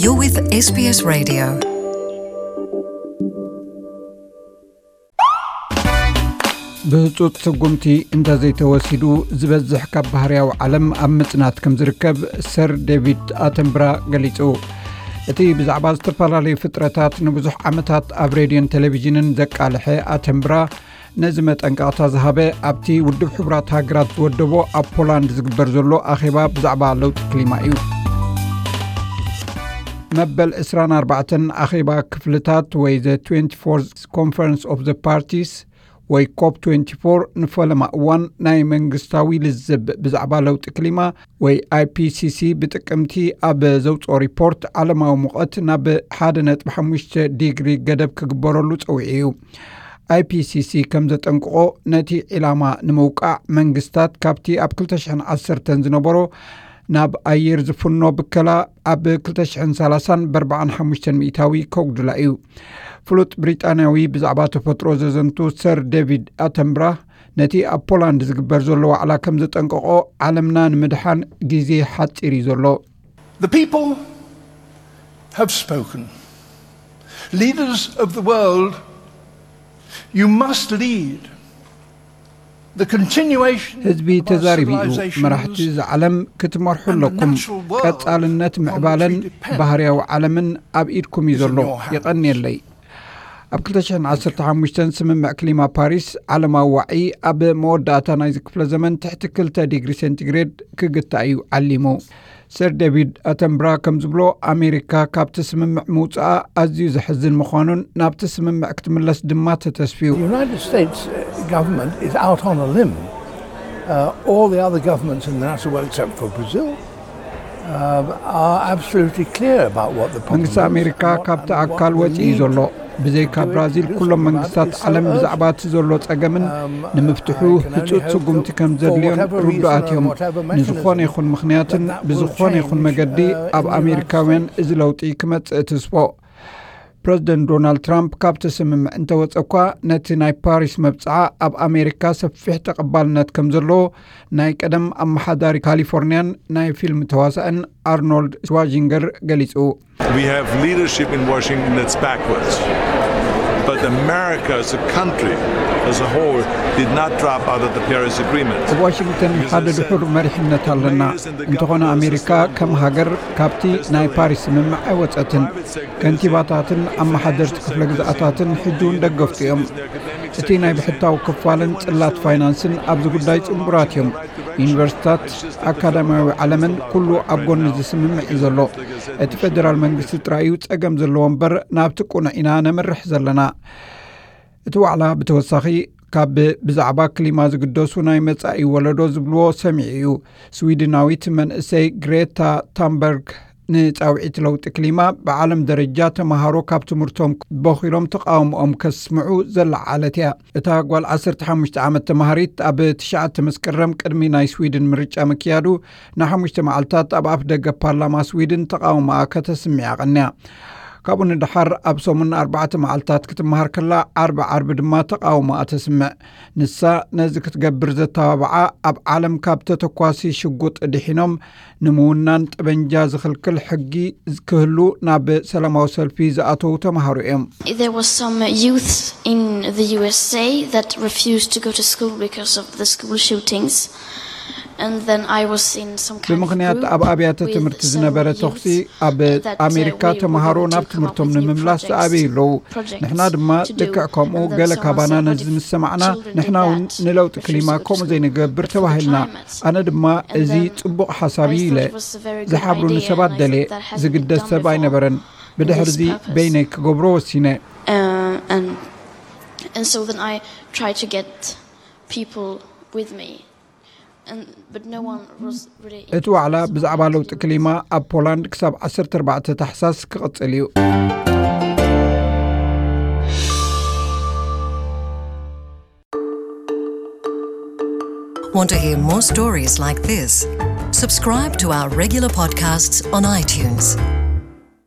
You're with S B S Radio. ብህጹጽ ስጉምቲ እንተዘይተወሲዱ፣ ዝበዝሕ ካብ ባህርያዊ ዓለም ኣብ ምጽናት ከም ዝርከብ ሰር ዴቪድ ኣተንብራ ገሊጹ። እቲ ብዛዕባ ዝተፈላለዩ ፍጥረታት ንብዙሕ ዓመታት ኣብ ሬድዮን ቴሌቪዥንን ዘቃልሐ ኣተንብራ፣ ነዚ መጠንቀቕታ ዝሃበ ኣብቲ ውድብ ሕቡራት ሃገራት ዝወደቦ ኣብ ፖላንድ ዝግበር ዘሎ ኣኼባ ብዛዕባ ለውጢ ክሊማ እዩ። መበል ዕስራን ኣርባዕተን ኣኼባ ክፍልታት ወይ the twenty-fourth Conference of the Parties ወይ ኮፕ ትዌንቲ ፎር ንፈለማ እዋን ናይ መንግስታዊ ልዝብ ብዛዕባ ለውጢ ክሊማ ወይ I P C C ብጥቅምቲ ኣብ ዘውፅኦ ሪፖርት ዓለማዊ ሙቐት ናብ ሓደ ነጥቢ ሓሙሽተ ዲግሪ ገደብ ክግበረሉ ፀዊዑ እዩ። I P C C ከም ዘጠንቅቖ፣ ነቲ ዒላማ ንምውቃዕ መንግስታት ካብቲ ኣብ ክልተ ሽሕን ዓሰርተን ዝነበሮ ናብ ኣየር ዝፍኖ ብከላ ኣብ ክልተ ሽሕን ሰላሳን ብኣርባዓን ሓሙሽተን ሚእታዊ ከጉድላ እዩ። ፍሉጥ ብሪጣንያዊ ብዛዕባ ተፈጥሮ ዘዘንቱ ሰር ዴቪድ ኣተንብራ ነቲ ኣብ ፖላንድ ዝግበር ዘሎ ዋዕላ ከም ዘጠንቀቖ፣ ዓለምና ንምድሓን ግዜ ሓጺር እዩ ዘሎ። The people have spoken. Leaders of the world, you must lead the continuation ህዝቢ of our ተዛሪቡ እዩ። Civilizations መራሕቲ እዚ ዓለም ክትመርሑ and the ኣለኩም። Natural world ቀጻልነት from ምዕባለን which we depend. ባህርያዊ ዓለምን ኣብ ኢድኩም እዩ ዘሎ። Is in your hands. ይቐንየለይ። ኣብ ክልተ ሽሕን ዓሰርተ ሓሙሽተን ስምምዕ ክሊማ ፓሪስ ዓለማዊ ዋዒ ኣብ መወዳእታ ናይዚ ክፍለ ዘመን ትሕቲ ክልተ ዲግሪ ሴንቲግሬድ ክግታእ እዩ ዓሊሙ። ሰር ዴቪድ ኣተንብራ ከም ዝብሎ፣ ኣሜሪካ ካብቲ ስምምዕ ምውፅኣ ኣዝዩ ዘሕዝን ምዃኑን ናብቲ ስምምዕ ክትምለስ ድማ ተተስፍዩ። The United States government is out on a limb. Uh, all the other governments in the natural world, except for Brazil, uh, are absolutely clear about what the problem መንግስቲ is ኣሜሪካ and what- ካብቲ and what ኣካል we ወፂኡ እዩ need ዘሎ። ብዘይካ ብራዚል ኩሎም መንግስታት ዓለም ብዛዕባ እቲ ዘሎ ጸገምን ንምፍትሑ ህጹጽ ስጉምቲ ከም ዘድልዮን ርዱኣት እዮም። ንዝኾነ ይኹን ምኽንያትን ብዝኾነ ይኹን መገዲ ኣብ ኣሜሪካውያን እዚ ለውጢ ክመጽእ ትስፎ። ፕረዚደንት ዶናልድ ትራምፕ ካብቲ ስምምዕ እንተወጸ እኳ፣ ነቲ ናይ ፓሪስ መብጽዓ ኣብ ኣሜሪካ ሰፊሕ ተቐባልነት ከም ዘለዎ ናይ ቀደም ኣመሓዳሪ ካሊፎርኒያን ናይ ፊልም ተዋሳእን ኣርኖልድ ሽዋዚንገር ገሊጹ። We have leadership in Washington that's backwards. But America as a country, as a whole, did not drop out of the Paris Agreement. ኣብ ዋሽንግተን ሓደ ድሑር መሪሕነት ኣለና። እንተኾነ ኣሜሪካ ከም ሃገር ካብቲ ናይ ፓሪስ ስምምዕ ኣይወጸትን። ከንቲባታትን ኣመሓደርቲ ክፍለ ግዝኣታትን ሕጂ እውን ደገፍቱ እዮም። እቲ ናይ ብሕታዊ ክፋልን ጽላት ፋይናንስን ኣብዚ ጉዳይ ጽንቡራት እዮም። ዩኒቨርሲታት፣ ኣካዳሚያዊ ዓለምን ኩሉ ኣብ ጎኒ እዚ ስምምዕ እዩ ዘሎ። እቲ ፌደራል መንግስቲ ጥራይ እዩ ጸገም ዘለዎ እምበር ናብቲ ቅኑዕ ኢና ነምርሕ ዘለና። እቲ ዋዕላ ብተወሳኺ ካብ ብዛዕባ ክሊማ ዝግደሱ ናይ መጻኢ ወለዶ ዝብልዎ ሰሚዑ እዩ። ስዊድናዊት መንእሰይ ግሬታ ታምበርግ ንጻውዒት ለውጢ ክሊማ ብዓለም ደረጃ ተምሃሮ ካብ ትምህርቶም በኺሎም ተቓውሞኦም ከስምዑ ዘለዓለት እያ። እታ ጓል ዓሰርተ ሓሙሽተ ዓመት ተምሃሪት ኣብ ትሽዓተ መስከረም ቅድሚ ናይ ስዊድን ምርጫ ምክያዱ ንሓሙሽተ መዓልታት ኣብ ኣፍ ደገ ፓርላማ ስዊድን ተቓውሞኣ ከተስምዕ ኣቐንያ። ካብኡ ንደሓር ኣብ ሰሙን ኣርባዕተ መዓልታት ክትመሃር ከላ ዓርቢ ዓርቢ ድማ ተቓውሞኣ ተስምዕ። ንሳ ነዚ ክትገብር ዘተባብዓ ኣብ ዓለም ካብ ተተኳሲ ሽጉጥ ድሒኖም ንምውናን ጠበንጃ ዝኽልክል ሕጊ ክህሉ ናብ ሰላማዊ ሰልፊ ዝኣተዉ ተምሃሮ እዮም። There was some youths in the U S A that refused to go to school because of the school shootings. And then I was in some kind of ብምኽንያት group ኣብ ኣብያተ with ትምህርቲ some ዝነበረ ተኹሲ youth ኣብ that, uh, ኣሜሪካ we were ተምሃሮ going ናብ to come up ትምህርቶም with new ንምምላስ projects, ዝኣበዩ ኣለዉ። projects ንሕና ድማ to do. ልክዕ ከምኡ And then ገለ some ካባና said, "What ነዚ if ምስ ሰማዕና children do ንሕና እውን that? ንለውጢ Refuse ክሊማ to go ከምኡ to school ዘይንገብር because of the ተባሂልና። Climate." ኣነ ድማ And እዚ then ጽቡቕ ሓሳብ I እዩ ኢለ thought it was a very good ዝሓብሩኒ idea, ሰባት and I ደልየ። Thought that hasn't ዝግደስ been done ሰብ before ኣይነበረን። In ብድሕርዚ this purpose. በይነይ ክገብሮ ወሲነ። Uh, and, and so then I tried to get people with me. And, but no one was really እቲ ዋዕላ interested ብዛዕባ about ለውጢ it. ክሊማ ኣብ ፖላንድ ክሳብ ዓሰርተ ኣርባዕተ ታሕሳስ ክቕጽል እዩ። Want to hear more stories like this? Subscribe to our regular podcasts on iTunes.